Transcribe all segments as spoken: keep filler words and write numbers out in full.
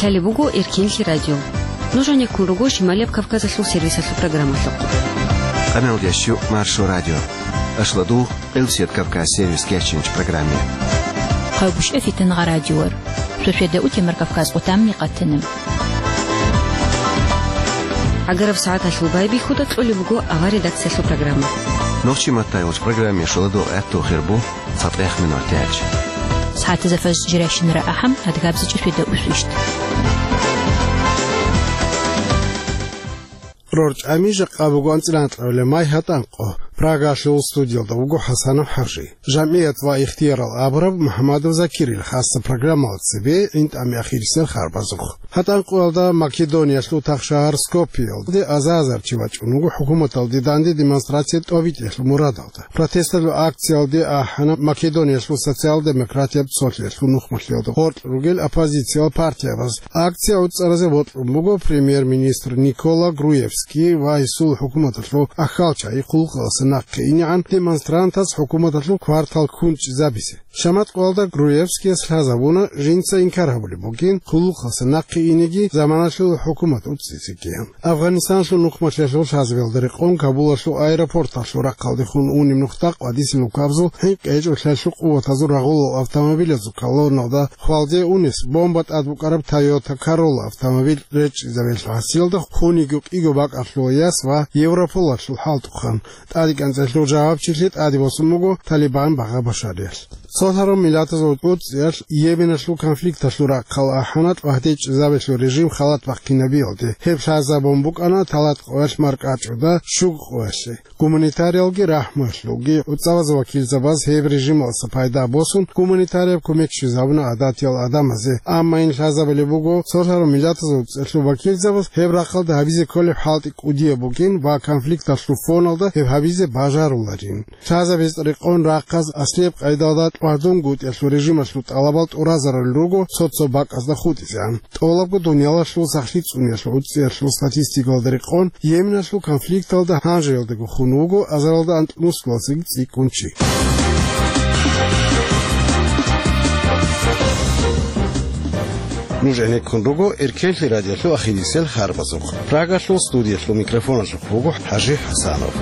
Лъалеб буго Эркенлъи радио. Нуж гьанеккун руго Шималияб Кавказалъул сервисалъул программалъухъ. Къамелдящу Маршо радио. Ашладу Элсет Кавказ сервис кечинч программе. Хъайбушев Фитнагъа радиор. Шошведа утемар Кавказ къутамни къатина. Агараб сагӀаталъул байбихьуда кьолеб буго авар редакциялъул программа. Нохчи маттайулч программе шуладу гӀатту хирбу. ЦатӀех минутач. СагӀатазда фажр жиращинара ахӀам, адгабзичӀо шуйда усвищ. РорчӀами жакъа буго анцӀила анкьабилеб май гьатӀанкъо. Прагалъул студиялда вуго ХӀасанов ХӀажи. Жамгьият ва ихтиярал абураб МухӀаммадов Закирил хасса программала цебе гӀинтӀами ахирисел харбазухъ. ГьатӀанкъоялда Македониялъул тахшагьар Скопьеялде аза-азар чи вачӀун вуго хӀукуматалде данде демонстрация тӀобитӀиялъул мурадалда. Протесталъул акциялде ахӀана Македониялъул социал-демократияб цолъиялъул нухмалъиялда гъоркь ругел оппозициял партиябаз. Акция гӀуцӀаразе бокьун буго премьер-министр Никола Груевский ва гьесул хӀукуматалъул ахьалчагӀи хъулухъалъа нахъе инегӀан демонстрантаз хӀукуматалъул квартал ккун чӀезабизе. ШаматӀкъоялда Груевскияс лъазабуна жинца инкар гьабулеб бугин хъулухъалъа нахъе инеги заманалъул хӀукумат уцӀцӀизеги. Афганистаналъул нухмалъиялъул лъазабиялда рекъон Кабулалъул аэропорталъул рахъалдехун унеб нухда къвадисеб лукабзул хӀинкъи гьечӀолъиялъул къуватазул рагъулал автомобилазул колонналда хвалде унес бомба тӀад букӀараб Toyota Corolla автомобиль речӀчӀизабиялъул гьасиялда хьуниго кӀиго бакӀалъула яс ва Европолалъул хӀалтӀухъан. ТӀаде кӀанцӀалъул жавабчилъи тӀаде босун буго Талибан багъа Башариялъ. Цо лъарав миллатазул уцӀцӀиялъ Йеменалъул конфликталъул рахъал ахӀана тӀвагьде чӀезабиялъул режим халат бахъинабиялде. Гьеб лъазабун букӀана талат къоялъ маркӀачӀуда щуго къоялъе. Гуманитариялги рахӀмуялъулги гӀуцӀаваз вакилзабаз гьеб режималдаса пайда босун, гуманитарияб кумек щвезабуна гӀадатиял гӀадамазе, амма ин лъазабулеб буго цо лъарав миллатазул уцӀцӀиялъул вакилзабаз гьеб рахъалда гьабизе кколеб хӀалтӀи кӀудияб бугин ва конфликталъул фоналда гьеб гьабизе бажаруларин. Лъазабиз рекъон рахъаз аслияб къайдалда тӀвагьдунгутӀиялъул режималъул тӀалабал тӀуразарулел руго цо-цо бакӀазда хутӀизегӀан. ТӀолабго дуниялалъул сахлъи цӀуниялъул уцӀцӀиялъул статистикалда рекъон, Йеменалъул конфликталда гьанжеялдаго хун вуго азаралда анкьнусуласаги цӀикӀкӀун чи. Нуж гӀенеккун руго Эркенлъи радиолъул ахирисел харбазухъ. Прагалъул студиялъул микрофоналъухъ вуго ХӀажи ХӀасанов.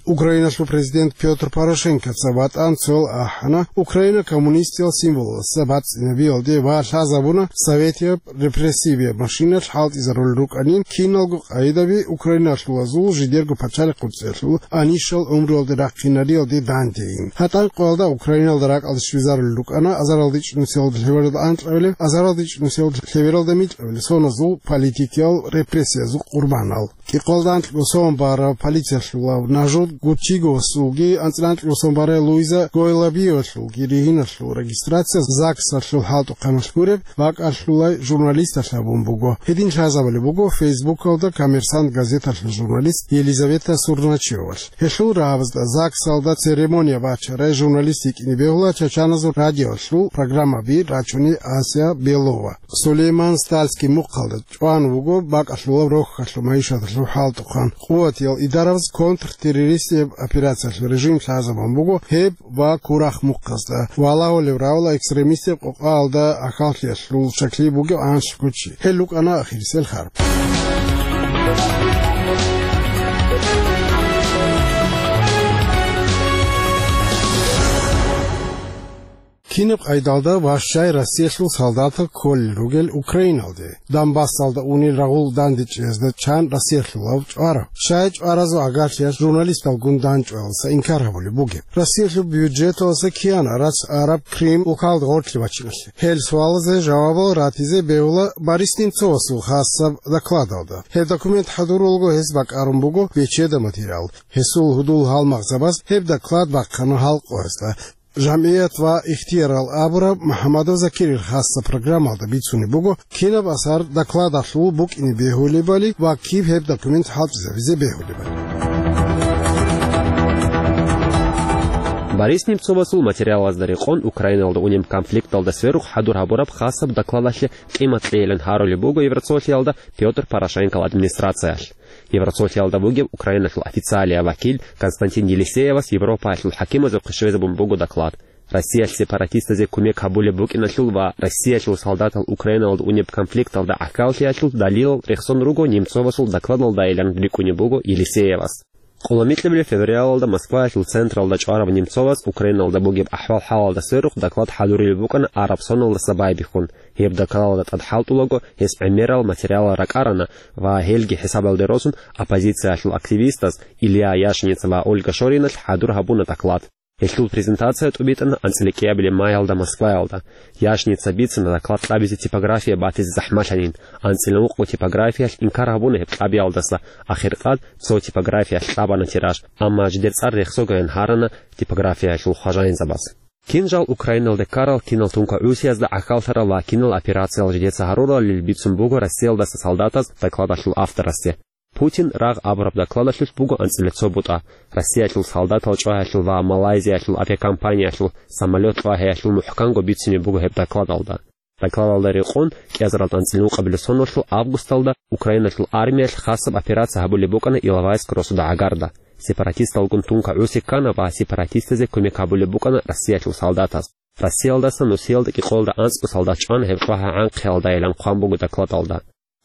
Украиналъул президент Пётр Порошенкоца ВатӀан цоял ахӀана Украина коммунистиял символалдаса бацӀцӀинабиялде ва лъазабуна советияб репрессивияб машиналъ хӀалтӀизарулел рукӀанин киналго къагӀидаби украиналъулазул жидерго пачалихъ уцӀцӀиялъул анищал гӀумруялде рахъинариялде дандейин. ГьатӀанкъоялда Украиналда ракӀалде щвезарулел рукӀана азаралда ичӀнусиялда лъебералда анкьабилеб, азаралда ичӀнусиялда лъебералда микьабилеб соназул политикиял репрессиязул къурбанал. КӀикъоялда анкьго сон бараб полициялъулав Нажут Гуччиговасулги анцӀила анкьго сон барай Луиза Гойлабиевалъулги ригьиналъул регистрация ЗАГСалъул хӀалтӀухъаналъ гуреб бакӀалъулай журналисталъ гьабун буго. Гьедин лъазабулеб буго Фейсбукалда «Коммерсант» газеталъул журналист Елизавета Сурначевалъ. Гьелъул рагӀабазда ЗАГСалда церемония бачарай журналист йикӀине бегьула Чачаназул радиоялъул программаби рачуней Ася Белова. Сулейман Стальский мухъалда чӀван вуго бакӀалъулаб рохьалъул майишаталъул хӀалтӀухъан. Къуватиял идарабаз контртеррористияб операциялъул режим лъазабун буго гьеб ва Курахъ мухъазда. Валагьулеб равла экстремистияб къокъаялда ахьаллъиялъул щаклъи бугеб анлъго чи. Гьел рукӀана ахирисел харб. Кинаб къайдалда ва щай Россиялъул солдатал кколел ругел Украиналде, Донбассалда унел рагъул дандечӀезда чан Россиялъулав чӀварав? Щай чӀваразул гӀагарлъиялъ журналисталгун данчӀваялдаса инкар гьабулеб бугеб? Россиялъул бюджеталдаса киян арац араб Крым улкалда гъорлъе вачиналъе? Гьел суалазе жавабал ратизе бегьула Борис Немцовасул хасаб докладалда. Гьеб документ хӀадурулго гьес бакӀарун буго бечеда материал. Гьесул гьудул-гьалмагъзабаз гьеб доклад бахъана гьалкъоязда. ЖамгӀият ва ихтиярал абураб МухӀаммадов Закирил хасса программалда бицунеб буго, кинаб асар докладалъул букӀине бегьулебали ва киб гьеб документ хӀалтӀизабизе бегьулебали. Борис Немцовасул материалазда рекъон, Украиналда унеб конфликталда сверухъ хӀадур гьабураб хасаб докладалъе къимат кьейилан гьарулеб буго Евросоциалда Пётр Порошенкол администрациялъ. Евросоциалда бугеб Украиналъул официалияв вакил Константин Елисеевас Европаялъул хӀакимазухъе щвезабун буго доклад. Россиялъ сепаратистазе кумек гьабулеб букӀиналъул ва Россиялъул солдатал Украиналда унеб конфликталда гӀахьаллъиялъул далилал рехсон руго Немцовасул докладалдайилан рикӀкӀунеб буго Елисеевас. Къоло микьабилеб февралалда Москваялъул централда чӀвараб Немцовас Украиналда бугеб ахӀвал-хӀалалда сверухъ доклад хӀадурулеб букӀана араб соналдаса байбихьун. Гьеб докладалда тӀад хӀалтӀулаго гьес гӀемерал материалал ракӀарана ва гьелги хӀисабалде росун оппозициялъул активистаз Илья Яшница ва Ольга Шориналъ хӀадур гьабуна доклад. Гьелъул презентация тӀубитӀана анцӀила кӀиабилеб майалда Москваялда. Яшница бицана доклад кьабизе типография батизе захӀмалъанин. АнцӀила ункъго типографиялъ инкар гьабуна гьеб кьабиялдаса, ахиркъад цо типографиялъ кьабана тираж, амма жидер цӀар рехсогаян гьарана типографиялъул хважаинзабаз. Кин жал Украиналде ккарал, кинал тункагӀусиязда гӀахьаллъарал ва кинал операциял жидеца гьаруралил бицун буго Россиялдаса солдатаз докладалъул авторасде. «Путин рагъ» абураб докладалъулъ буго анцӀила цо бутӀа. Россиялъул солдатал чӀвагьиялъул ва Малайзиялъул авиакомпаниялъул самолет чӀвагьиялъул мухӀканго бицине буго гьеб докладалда. Докладалда рекъон, кӀиазаралда анцӀила ункъабилеб соналъул августалда Украиналъул армиялъ хасаб операция гьабулеб букӀана Иловайск росуда гӀагарда. Сепаратисталгун тункагӀуси ккана ва сепаратистазе кумек гьабулеб букӀана Россиялъул солдатаз. Россиялдаса нусиялда кӀикъоялда анцӀго солдат чӀвана гьеб чӀвагьи гӀанхъиялдайилан хъван буго докладалда.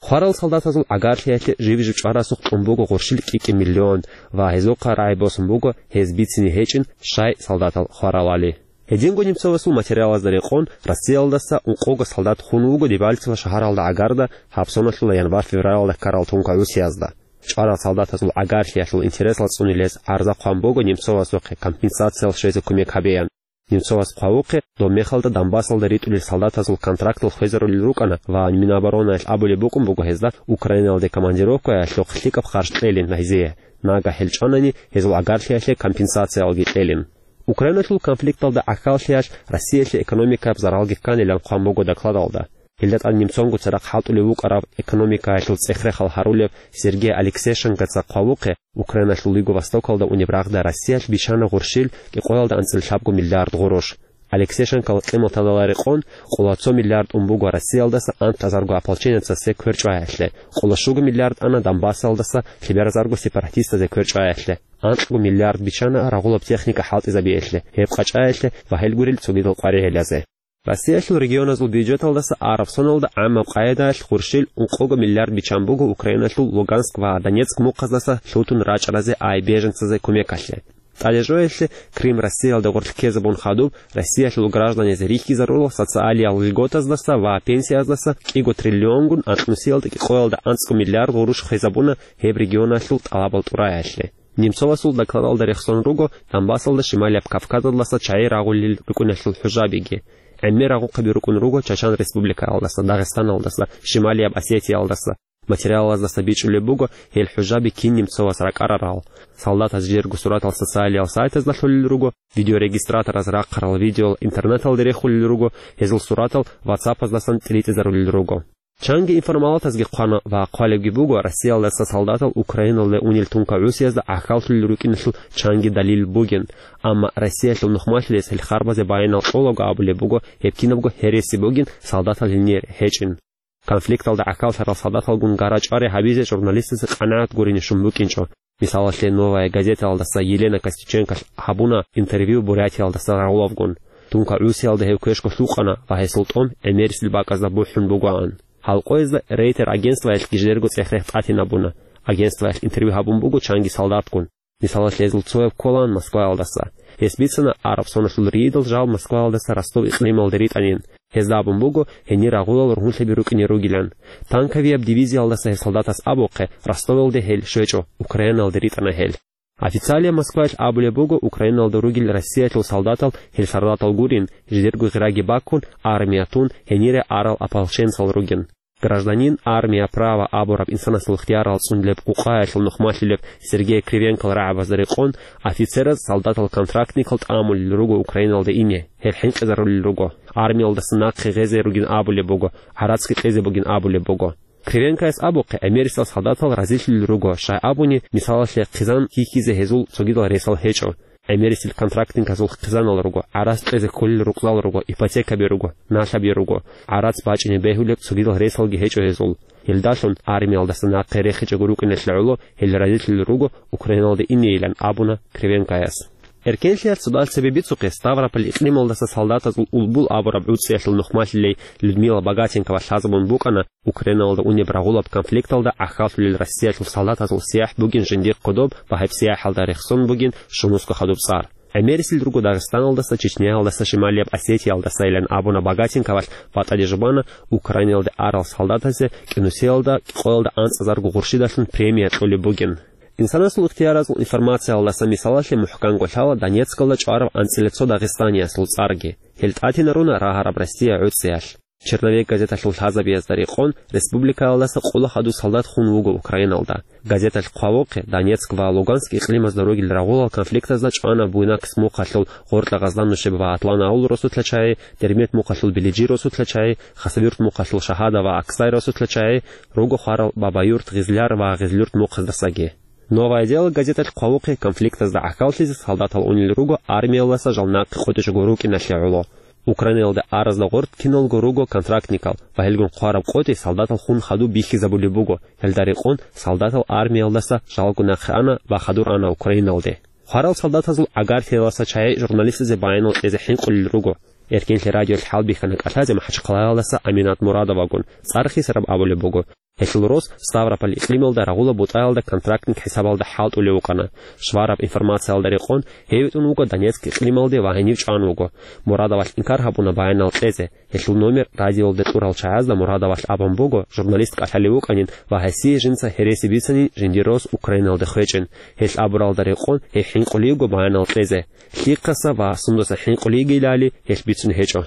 Хварал солдатазул гӀагарлъиялъе жиб-жиб чӀварасухъ тӀун буго гъурщил кӀи-кӀи миллион ва гьезухъа рагӀи босун буго гьез бицине гьечӀин, щай солдатал хваралали. Гьединго Немцовасул материалазда рекъон, Россиялдаса ункъого солдат хун вуго Дебальцево шагьаралда гӀагарда гьаб соналъула январь-февралалда ккарал тункагӀусиязда. ЧӀварал солдатазул гӀагарлъиялъул интересал цӀунилез гӀарза хъван буго Немцовасухъе компенсациял щвезе кумек гьабеян. Немцовас хъвавухъе, доб мехалда Донбассалда ритӀулел солдатазул контрактал хвезарулел рукӀана ва Миноборонаялъ абулеб букӀун буго гьезда Украиналде командировкаялъухъ лъикӀаб харж кьелин гьезие, нагагь гьел чӀванани гьезул гӀагарлъиялъе компенсациялги кьелин. Украиналъул конфликталда гӀахьаллъиялъ Россиялъе экономикаяб заралги кканилан хъван буго докладалда. Гьелда тӀад немцонгоца рахъ хӀалтӀулев вукӀарав экономикаялъул цӀех-рехал гьарулев Сергей Алексейшенкоца хъвавухъе, Украиналъул Юго-Востокалда унеб рагъда Россиялъ бичана гъурщил кӀикъоялда анцӀила лъабго миллиард гъурущ. Алексейшенкол къиматалда рекъон, къоло цо миллиард ун буго Россиялдаса анлъазарго ополченецасе квер чӀваялъе, къоло щуго миллиард ана Донбассалдаса лъеберазарго сепаратистазе квер чӀваялъе, анкьго миллиард бичана рагъулаб техника хӀалтӀизабиялъе, гьеб къачӀаялъе ва гьел гурел цогидал къваригӀелазе. Россиялъул регионазул бюджеталдаса араб соналда гӀаммаб къайдаялъ гъурщил ункъого миллиард бичан буго Украиналъул Луганск ва Донецк мухъаздаса лъутун рачӀаразе ай беженцазе кумекалъе. ТӀадежоялъе Крым Россиялда гъорлъ ккезабун хадуб, Россиялъул гражданизе рихьизарурал социалиял льготаздаса ва пенсияздаса кӀиго триллионгун анкьнусиялда кӀикъоялда анцӀго миллиард гъурущ хвезабуна гьеб регионалъул тӀалабал тӀураялъе. Немцовасул докладалда рехсон руго Донбассалда Шималияб Кавказалдаса чагӀи рагъулел рукӀиналъул хӀужабиги. ГӀемер рагъухъаби рукӀун руго Чачан республикаялдаса, Дагъистаналдаса, Шималияб Осетиялдаса. Материалаздаса бичӀчӀулеб буго гьел хӀужаби кин немцовас ракӀарарал. Солдатаз жидерго суратал социалиял сайтазда лъолел руго, видеорегистратораз рахъарал видеоял интернеталде рехулел руго, гьезул суратал ватсаппаздасан тӀиритӀизарулел руго. Чанги информалатазги хъвана ва хъвалебги буго, Россиялдаса солдатал Украиналде унел тункагӀусиязда гӀахьаллъулел рукӀиналъул чанги далил бугин. Амма Россиялъул нухмалъилес гьел харбазе баянал кьолаго абулеб буго, гьеб кинабго гьереси бугин, солдатал гьенир гьечӀин. Конфликталда гӀахьаллъарал солдаталгун гара-чӀвари гьабизе журналистазе къанагӀат гурине щун букӀинчӀо. Мисалалъе, «Новая газеталдаса» Елена Костюченколъ гьабуна интервью Бурятиялдаса рагъулавгун. ТункагӀусиялда гьев квешго лъукъана ва гьесул тӀом гӀемерисел бакӀазда бухӀун бугоан. Гьал къоязда Рейтер агентствоялъги жидерго цӀех-рех тӀатинабуна. Агентствоялъ интервью гьабун буго чанги солдатгун. Мисалалъе, гьезул цояв кколаан Москваялдаса. Гьес бицана, араб соналъул рийидал жал Москваялдаса Ростов-икълималде ритӀанин. Гьезда абун буго, гьенир рагъулал ругьунлъаби рукӀине ругилан. Танковияб дивизиялдаса гьел солдатас абухъе, Ростовалде гьел щвечӀо, Украиналде ритӀана гьел. Официалияб Москваялъ абулеб буго, Украиналда ругел Россиялъул солдатал гьел солдатал гурин, жидерго гъираги баккун, армия тун, гьенире арал ополченцал ругин. «Гражданин, армия, право» абураб инсанасул ихтиярал цӀундилеб къукъаялъул нухмалъилеб Сергей Кривенкол рагӀабазда рекъон, офицераз солдатал-контрактникал тӀамулел руго Украиналде ине, гьел хӀинкъизарулел руго. Армиялдаса нахъе гъезе ругин абулеб буго, гӀарацги кьезе бугин абулеб буго. Кривенкояс абухъе, гӀемерисел солдатал разилъулел руго, щай абуни, мисалалъе, хъизан хьихьизе гьезул цогидал ресал гьечӀо. ГӀемерисел контрактниказул хъизанал руго, гӀарац кьезе кколел рукъзал руго, ипотекаби руго, налъаби руго, гӀарац бачӀине бегьулеб цогидал ресалги гьечӀо гьезул. Гьелдалъун армиялдаса нахъе рехичӀого рукӀиналъе гӀоло гьел разилъулел руго Украиналде инейилан абуна Кривенкояс. Эркенлъиялъ цодал цебе бицухъе Ставрополь икълималдаса солдатазул Улбул абураб гӀуцӀиялъул нухмалъилей Людмила Богатенкова лъазабун букӀана Украиналда унеб рагъулаб конфликталда гӀахьаллъулел Россиялъул солдатазул сияхӀ бугин жиндихъ кодоб ва гьеб сияхӀалда рехсон бугин Шумусго хадуб цӀар. ГӀемерисел руго Дагъистаналдаса, Чечняялдаса, Шималияб Осетиялдасайилан абуна Богатенковалъ, батӀаде жубана Украиналде арал солдатазе кӀинусиялда къоялда анцӀазарго гъурщидалъун премия кьолеб бугин. Инсанасул ихтияразул информациялдаса мисалалъе мухӀканго лъала Донецкалда чӀварав анцӀила цо дагъистаниясул цӀарги. Гьел тӀатинаруна рагьараб Россия гӀуцӀиялъ. «Черновик» газеталъул лъазабиязда рекъон, республикаялдаса къола хадур солдат хун вуго Украиналда. Газеталъ хъвавухъе, Донецк ва Луганск икълимазда ругел рагъулал конфликтазда чӀвана Буйнакск мухъалъул Гъоркьа Гъаздан-Нушеб ва Атлан-Аул росулъа чагӀи, Дербент мухъалъул Билижи росулъа чагӀи, Хасавюрт мухъалъул Шагьада ва Аксай росулъа чагӀи, руго хварал Бабаюрт, Гъизлияр ва Гъизлюрт мухъаздасаги. «Новое дело» газеталъ хъвавухъе, конфликтазда гӀахьаллъизе солдатал унел руго армиялдаса жал нахъе къотӀичӀого рукӀиналъе гӀоло. Украиналда аразда гъоркь киналго руго контрактникал ва гьелгун хъвараб къотӀи солдатал хун хадуб бихьизабулеб буго, гьелда рекъон солдатал армиялдаса жалго нахъе ана ва хадур ана Украиналде. Хварал солдатазул гӀагарлъиялдаса чагӀи журналистазе баянал кьезе хӀинкъулел руго. Эркенлъи радиолъ хӀалбихьана кӀалъазе МахӀачхъалаялдаса Аминат Мурадовагун, цӀар хисараб абулеб буго. Гьелъул рос Ставрополь икълималда рагъула бутӀаялда контрактник хӀисабалда хӀалтӀулев вукӀана. Швараб информациялда рекъон, гьев витӀун вуго Донецк икълималде ва гьенив чӀван вуго. Мурадовалъ инкар гьабуна баянал кьезе. Гьелъул номер радиолде кьурал чагӀазда Мурадовалъ абун буго, журналист кӀалъалев вукӀанин ва гьесие жинца гьереси бицанин жиндир рос Украиналде хвечӀин. Гьелъ абуралда рекъон, гьев хӀинкъулевго баянал кьезе. Лъихъаса ва сундаса хӀинкъулейгилали гьелъ бицун гьечӀо.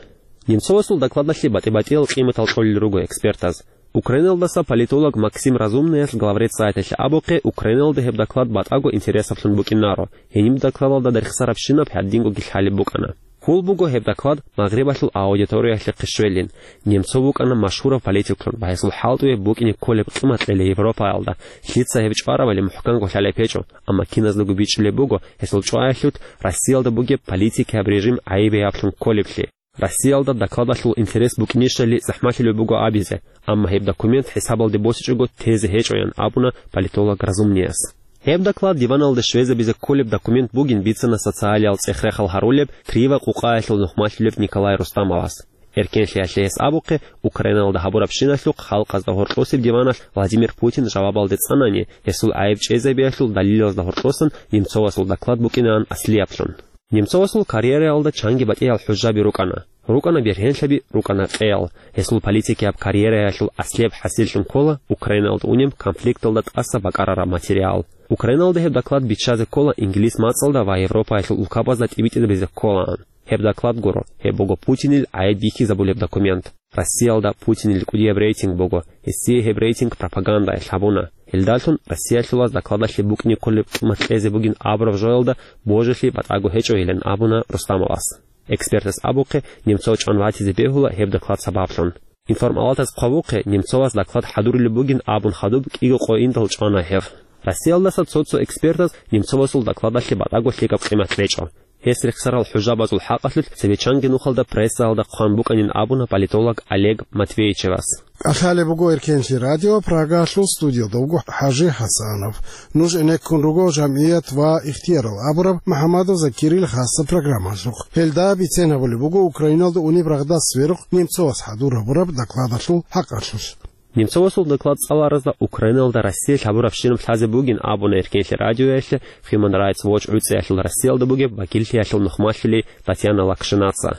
Немцовасул докладалъе батӀи-батӀиял къиматал кьолел руго экспертаз. Украиналдаса политолог Максим Разумнаялъ главред сайталъе абухъе, Украиналда гьеб доклад батӀаго интересаблъун букӀинаро, гьениб докладалда рехсарабщинаб гьадингоги лъалеб букӀана. Хьул буго гьеб доклад Магърибалъул аудиториялъе хъищвелин. Немцов вукӀана машгьурав политиклъун ва гьесул хӀалтӀуе букӀине кколеб къимат кьела Европаялда, лъица гьеб чӀваравали мухӀканго лъалеб гьечӀо, амма киназдаго бичӀчӀулеб буго гьесул чӀваялъулъ Россиялда бугеб политикияб режим гӀайибияб кколеблъи. Россиялда докладалъул интерес букӀинищали захӀмалъулеб буго абизе, амма гьеб документ хӀисабалде босичӀого тезе гьечӀоян абуна политолог Разумнияс. Гьеб доклад диваналде щвезабизе кколеб документ бугин бицана социалиял цӀех-рехал гьарулеб Крива къукъаялъул нухмалъулеб Николай Рустамовас. Эркенлъиялъе гьес абухъе, Украиналда гьабурабщиналъухъ халкъазда гьоркьосеб диваналъ Владимир Путин жавабалде цӀанани, гьесул гӀайиб чӀезабиялъул далилазда гьоркьосан Немцовасул доклад букӀинаан аслияблъун. Немцовасул карьераялда чанги батӀиял хӀужаби рукӀана. РукӀана бергьенлъаби, рукӀана къеял. Гьесул политикияб карьераялъул аслияб хӀасиллъун ккола Украиналда унеб конфликталда тӀаса бакӀарараб материал. Украиналда гьеб доклад биччазе ккола инглис мацӀалда ва Европаялъул улкабазда тӀибитӀизабизе кколаан. Гьеб доклад гуро, гьеб буго Путинил гӀайиб бихьизабулеб документ. Россиялда Путинил кӀудияб рейтинг буго, гьесие гьеб рейтинг пропагандаялъ гьабуна. Гьелдалъун Россиялъулаз докладалъе букӀине кколеб къимат кьезе бугин абураб жоялда божилъи батӀаго гьечӀойилан абуна Рустамовас. Экспертас абухъе, Немцов чӀван ватизе бегьула гьеб доклад сабаблъун. Информалатас хъвавухъе, Немцовас доклад хӀадурулеб бугин абун хадуб кӀиго къо индал чӀвана гьев. Россиялдаса цо-цо экспертаз Немцовасул докладалъе батӀаго лъикӀаб къимат речӀо. Гьес рехсарал хӀужабазул хӀакъалъулъ цебе чанги нухалда прессаялда хъван букӀанин абуна политолог Олег Матвейчевас. КӀалъалеб буго Эркенлъи радио, Прагалъул студиялда вуго ХӀажи ХӀасанов. Нуж гӀенеккун руго «ЖамгӀият ва ихтиярал» абураб МухӀаммадов Закирил хасаб программалъухъ. Гьелда бицен гьабулеб буго Украиналда унеб рагъда сверухъ Немцовас хӀадур гьабураб докладалъул хӀакъалъулъ. Немцовасул доклад цӀаларазда Украиналда Россиялъ гьабурабщинаб лъазе бугин абуна Эркенлъи радиоялъе Human Rights Watch гӀуцӀиялъул Россиялда бугеб вакиллъиялъул нухмалъулей Татьяна Лакшинаца.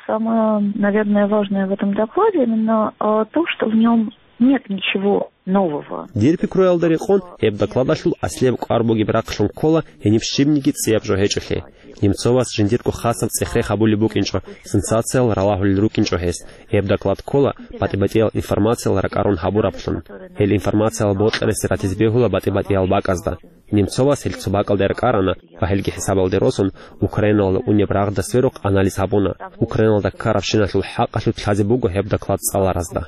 Самое, наверное, важное в этом докладе именно, а, то, что в нём нет ничего нового. Дир пикруялда рекъон, гьеб докладалъул аслияб кӀвар бугеб рахълъун ккола гьениб щибниги цӀияб жо гьечӀолъи. Немцовас жиндирго хасаб цӀех-рех гьабулеб букӀинчӀо, сенсациял ралагьулел рукӀинчӀо гьес. Гьеб доклад ккола батӀи-батӀиял информациял ракӀарун гьабураб. Гьел информациял бокьарасе ратизе бегьула батӀи-батӀиял бакӀазда. Немцовас гьел цо бакӀалде ракӀарана ва гьелги хӀисабалде росун, Украиналда унеб рагъда сверухъ анализ гьабуна. Украиналда ккарабщиналъул хӀакъалъулъ лъазе буго гьеб доклад цӀаларазда.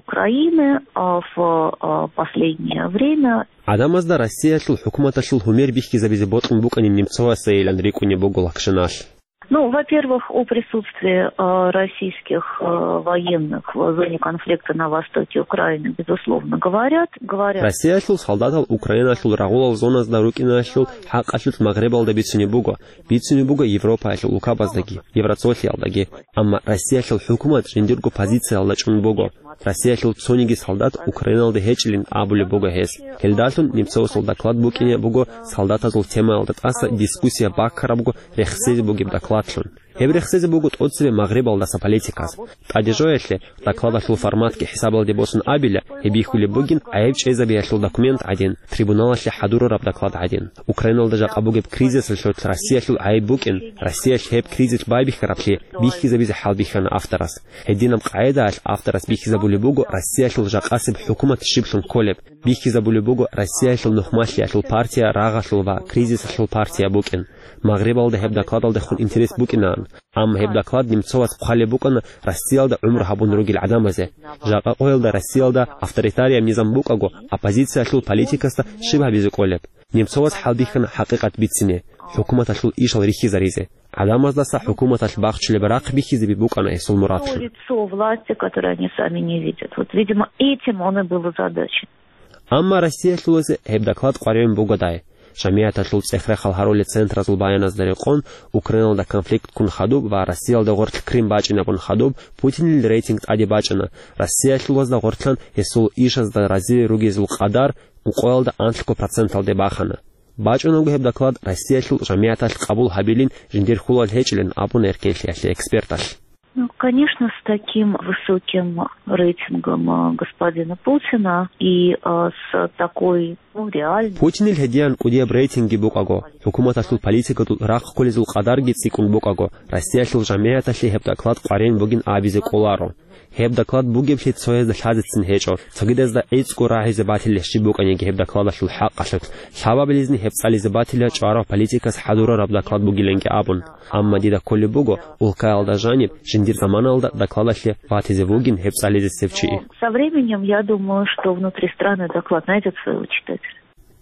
Украины, а, в, а, последнее время. ГӀадамазда Россиялъул хӀукуматалъул гьумер бихьизабизе бокьун букӀанин Немцовасайилан рикӀкӀунеб буго Лакшаналъ. Ну, во-первых, о присутствии, а, российских, а, военных в зоне конфликта на востоке Украины, безусловно, говорят. Говорят. Россиялъул солдатал Украиналъул рагъулал зоназда рукӀиналъул хӀакъалъулъ Магърибалда бицунеб буго, бицунеб буго Европаялъул улкабаздаги, Евроцолъиялдаги. Амма Россиялъул хӀукумат жиндирго позициялда чӀун буго. Россиялъул цониги солдат Украиналда гьечӀилин абулеб буго гьес. Гьелдалъун Немцовасул доклад букӀине буго солдатазул темаялда тӀаса дискуссия баккарабго рехсезе бугеб докладлъун. Гьеб рехсезе буго тӀоцебе Магърибалдаса политиказ. ТӀаде жоялъе, докладалъул форматги хӀисабалде босун абила, гьеб бихьулеб бугин гӀайиб чӀезабиялъул документ гӀадин, трибуналалъе хӀадурараб доклад гӀадин. Украиналда жакъа бугеб кризисалъулъ Россиялъул гӀайиб букӀин, Россиялъ гьеб кризис байбихьараблъи бихьизабизе хӀалбихьана авторас. Гьединаб къагӀидаялъ авторас бихьизабулеб буго Россиялъул жакъасеб хӀукумат щиблъун кколеб, бихьизабулеб буго Россиялъул нухмалъиялъул партия рагъалъул ва кризисалъул партия букӀин. Магърибалда гьеб докладалдехун интерес букӀинаан, амма гьеб доклад Немцовас хъвалеб букӀана Россиялда гӀумру гьабун ругел гӀадамазе. Жакъа къоялда Россиялда авторитарияб низам букӀаго, оппозициялъул политикасда щиб гьабизе кӀолеб? Немцовас хӀалбихьана хӀакъикъат бицине, хӀукуматалъул ишал рихьизаризе. ГӀадамаздаса хӀукуматалъ бахчулеб рахъ бихьизаби букӀана гьесул мурадлъун. То лицо власти, которое они сами не видят. Вот, видимо, этим он и был озадачен. Амма Россиялъулазе гьеб доклад къваригӀун бугодай. ЖамигӀяталъул цӀех-рахъал гьарулел центразул баяназда рекъон, Украиналда конфликт ккун хадуб ва Россиялда гъорлъ Крым бачӀинабун хадуб Путинил рейтинг тӀаде бачӀана. Россиялъулазда гъорлъан гьесул ишазда разили ругезул къадар ункъоялда анлъго проценталде бахана. БачӀунаго гьеб доклад Россиялъул жамигӀаталъ къабул гьабилин жиндир хьулал гьечӀилин абуна Эркенлъиялъе эксперталъ. Ну, конечно, с таким высоким рейтингом, а, господина Путина и, а, с такой, ну, реальной... Путинил гьедиян кӀудияб рейтинги букӀаго, хӀукуматалъул политикадул рахъ кколезул къадарги цӀикӀкӀун букӀаго, Россиялъул жамигӀаталъе гьеб доклад къваригӀун бугин абизе кӀоларо. Гьеб доклад бугеблъи цоязда лъазецин гьечӀо, цогидазда гӀицӀго рагӀизе батилищ букӀаниги гьеб докладалъул хӀакъалъулъ, лъабабилезни гьеб цӀализе батила чӀварав политикас хӀадурараб доклад бугиланги абун. Амма дида кколеб буго, улкаялда жаниб, жиндир заманалда докладалъе батизе вугин гьеб цӀализесев чи. Со временем, я думаю, что внутри страны доклад найдет своего читателя.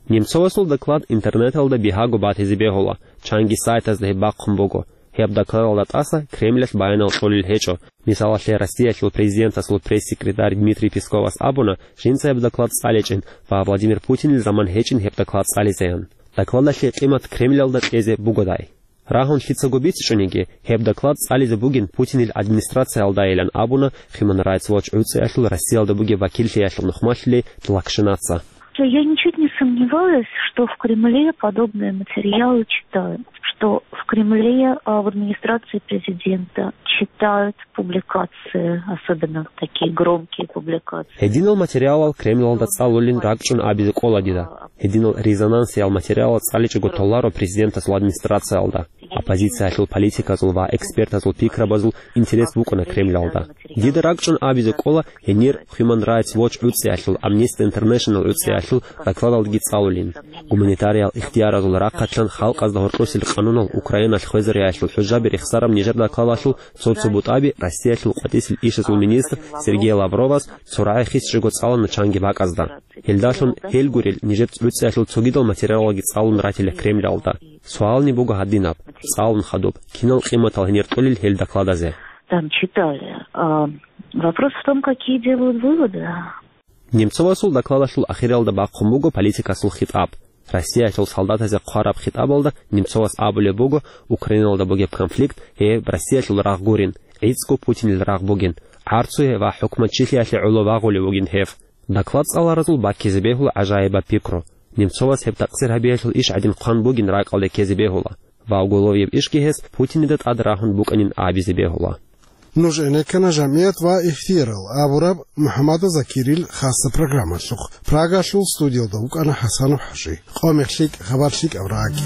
Немцовасул доклад интернеталда бигьаго батизе бегьула, чанги сайтазда гьеб бахъун буго. Гьеб докладалда тӀаса Кремлалъ баянал кьолел гьечӀо. Мисалалъе, Россиялъул президентасул пресс-секретарь Дмитрий Песковас абуна, жинца гьеб доклад цӀаличӀин ва Владимир Путинил заман гьечӀин гьеб доклад цӀализеян. Докладалъе къимат Кремлалда кьезе бугодай. Рагьун лъицаго бицичӀониги, гьеб доклад цӀализе бугин Путинил администрациялдайилан абуна Human Rights Watch гӀуцӀиялъул Россиялда бугеб вакиллъиялъул нухмалъулей Лакшинаца. Я ничуть не сомневаюсь, что в Кремле подобные материалы читают, что в Кремле, а, в администрации президента читают публикации, особенно такие громкие публикации. Гьединал материалал Кремлалда цӀалулин ракӀчӀун абизе кӀола дида. Гьединал резонансиял материалал цӀаличӀого толаро президентасул администрациялда. Оппозициялъул политиказул ва экспертазул пикрабазул интерес букӀана Кремлалда. Дида ракӀчӀун абизе кӀола гьенир Human Rights Watch гӀуцӀиялъул, Amnesty International гӀуцӀиялъул докладалдги цӀалулин. Гуманитариал ихтияразул рахъалъан халкъазда гьоркьосел къанунал Украиналъ хвезариялъул хӀужаби рехсараб нижер докладалъул цо-цо бутӀаби Россиялъул къватӀисел ишазул министр Сергей Лавровас цо рагӀи хисчӀого цӀалана чанги бакӀазда. Гьелдалъун гьел гурел нижер гӀуцӀиялъул цогидал материалалги цӀалун ратила Кремлалда. Суални буго гьадинаб, цӀалун хадуб, кинал къиматал гьенир кьолел гьел докладазе. Там читали. А вопрос в том, какие делают выводы. Немцовасул докладалъул ахиралда бахъун буго политикасул хитӀаб. Россиялъул солдатазе хъвараб хитӀабалда Немцовас абулеб буго, Украиналда бугеб конфликт гьеб Россиялъул рагъ гурин, гӀицӀго Путинил рагъ бугин, гӀарцуе ва хӀукуматчилъиялъе гӀоло вагъулев вугин гьев. Доклад цӀаларазул баккизе бегьула гӀажаибаб пикру. Немцовас гьеб такъсир гьабиялъул иш гӀадин хъван бугин ракӀалде ккезе бегьула ва уголовияб ишги гьес Путинида тӀад рагьун букӀанин абизе бегьула. Нуж гӀенеккана жамигӀат ва ихтиярал абураб МухӀаммада Закирил хасса программалъухъ. Прагалъул студиялда вукӀана ХӀасанов ХӀажи. Къо-мех лъикӀ, хабар лъикӀаб рагӀаги.